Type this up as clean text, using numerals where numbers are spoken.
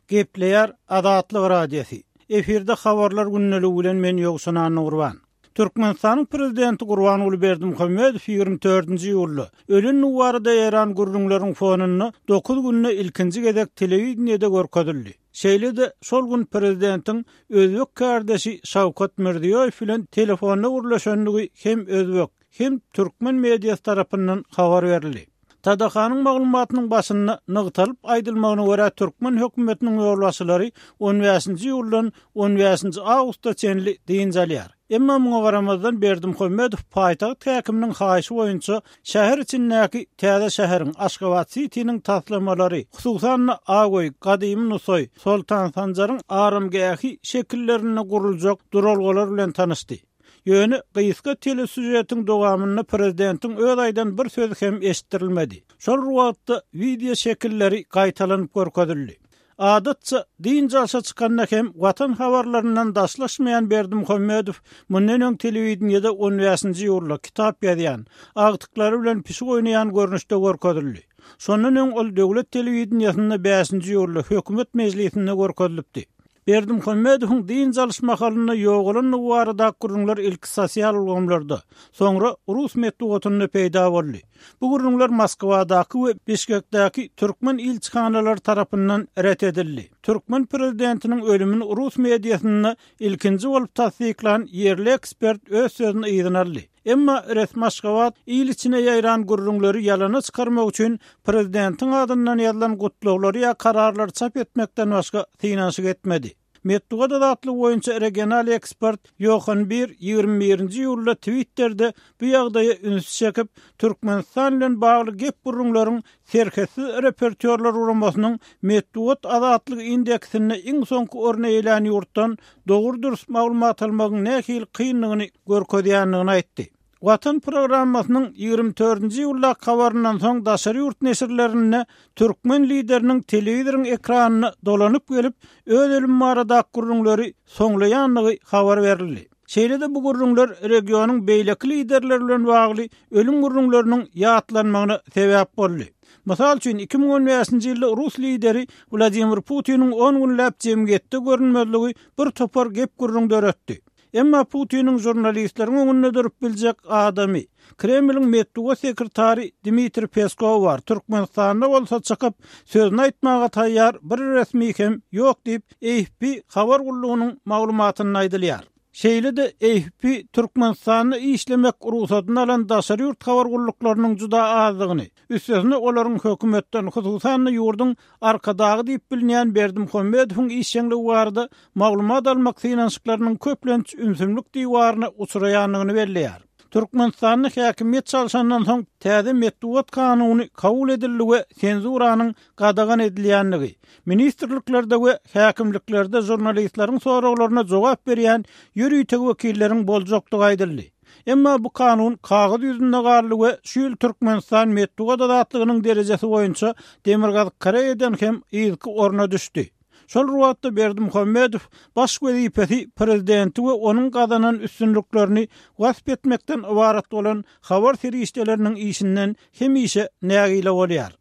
Gepleýär Azatlyk Radiosy. Efirde habarlar gündeligi bilen men Ýowşan Annagurban. Türkmenistanyň Prezidenti Gurbanguly Berdimuhamedow 24-nji iýulda ölendigi barada ýaýran gürrüňleriň fonunda dokuz günde ilkinji gezek telewideniýede görkezildi. Şeýle-de şol gün prezidentiň özbek kärdeşi Şawkat Mirziýoýew bilen telefonda gürleşendigi hem özbek, hem türkmen mediasy tarapyndan habar berildi. TDH-nyň maglumatynyň başynda nygtalyp aýdylmagyna görä, türkmen hökümetiniň ýolbaşçylary on bäşinji iýuldan on bäşinji awgusta çenli dynç alýar. Emma muňa garamazdan, Berdimuhamedow paýtagt häkiminiň haýyşy boýunça şäher içindäki täze şäheriň, Aşgabat-sitiniň taslamalary, hususan-da, Ak öý, Gadymy Nusaý, Soltan Sanjaryň aramgähi şekillerinde guruljak duralgalar bilen tanyşdy. Ýöne gysga telesýužetiň dowamynda prezidentiň öz aýdan bir sözi hem eşitdirilmedi. Şol bir wagtda wideo şekilleri gaýtalanyp görkezildi. Adatça, dynç alşa çykanda hem Watan habarlaryndan daşlaşmaýan Berdimuhamedow mundan öň telewideniýede on bäşinji iýulda kitap ýazýan, agtyklary bilen pişik oýnaýan görnüşde görkezildi. Şondan öň ol döwlet telewideniýesinde bäşinji iýulda hökümet mejlisinde görkezilipdi. Berdimuhamedowyň dynç alyş mahalynda ýogalandygy baradaky gürrüňler ilki sosial ulgamlarda, soňra rus metbugatynda peýda boldy. Bu gürrüňler Moskwadaky we Bişkekdäki türkmen ilçihanalary tarapyndan ret edildi. Türkmen prezidentiniň ölümini rus mediasynda ilkinji bolup tassyklan ýerli ekspert öz sözüni yzyna aldy. Emma resmi Aşgabat il içine ýaýran gürrüňleri ýalana çykarmak üçin prezidentiň adyndan ýazylan gutlaglary ýa kararlary çap etmekden başga synanyşyk etmedi. Metbugat azatlygy boýunça regional ekspert Ýohan Bir 21 nji iýulda Twitterde bu ýagdaýa ünsi çekip, Türkmenistan bilen bagly gep-gürrüňleriň Serhetsiz reportýorlar guramasynyň metbugat azatlygy indeksinde iň soňky orny eýelän ýurtdan dogry-dürs maglumat almagyň nähili kyndygyny görkezýändigini aýtdy. Watan programmasynyň 24-nji iýuldaky habaryndan soň daşary ýurt neşirlerinde türkmen lideriniň telewizoryň ekranyna dolanyp gelip, öz ölümi baradaky gürrüňleri soňlaýandygy habar berildi. Şeýle-de bu gürrüňler regionyň beýleki liderleri bilen bagly ölüm gürrüňleriniň ýatlanmagyna sebäp boldy. Mysal üçin, 2015-nji ýylda rus lideri Wladimir Putiniň on günläp jemgyýetde görünmezligi bir topar gep-gürrüň döretdi. Emma Putiniň žurnalistleriň öňünde durup biljek adamy, Kremliň metbugat sekretary Dmitriý Peskow bar, Türkmenistanda bolsa çykyp, sözüni aýtmaga taýýar bir resmi hem ýok diýip, AFP habar gullugynyň maglumatynda aýdylýar. Şeýle-de AFP Türkmenistanda işlemek rugsadyny alan daşary ýurt habar gulluklarynyň juda azdygyny, üstesine olaryň hökümetden, hususan-da ýurduň Arkadagy diýip bilinýän Berdimuhamedowyň işjeňligi barada maglumat almak synanyşyklarynyň köplenç ümsümlik diwaryna uçraýandygyny belleýär. Türkmenistanda häkimiýet çalşandan soň täze metbugat kanuny kabul edildi we senzuranyň gadagan edilýändigi, ministrliklerde we häkimliklerde žurnalistleriň soraglaryna jogap berýän ýörite wekilleriň boljakdygy aýdyldy. Emma bu kanun kagyz ýüzünde galdy we şu ýyl Türkmenistan metbugat azatlygynyň derejesi boýunça Demirgazyk Koreýadan hem yzky orna düşdi. Şol bir wagtda Berdimuhamedow baş wezipesi prezidenti we onuň gazanan üstünliklerini wasp etmekden ybarat bolan habar serişdeleriniň işinden hemişe nägile bolýar.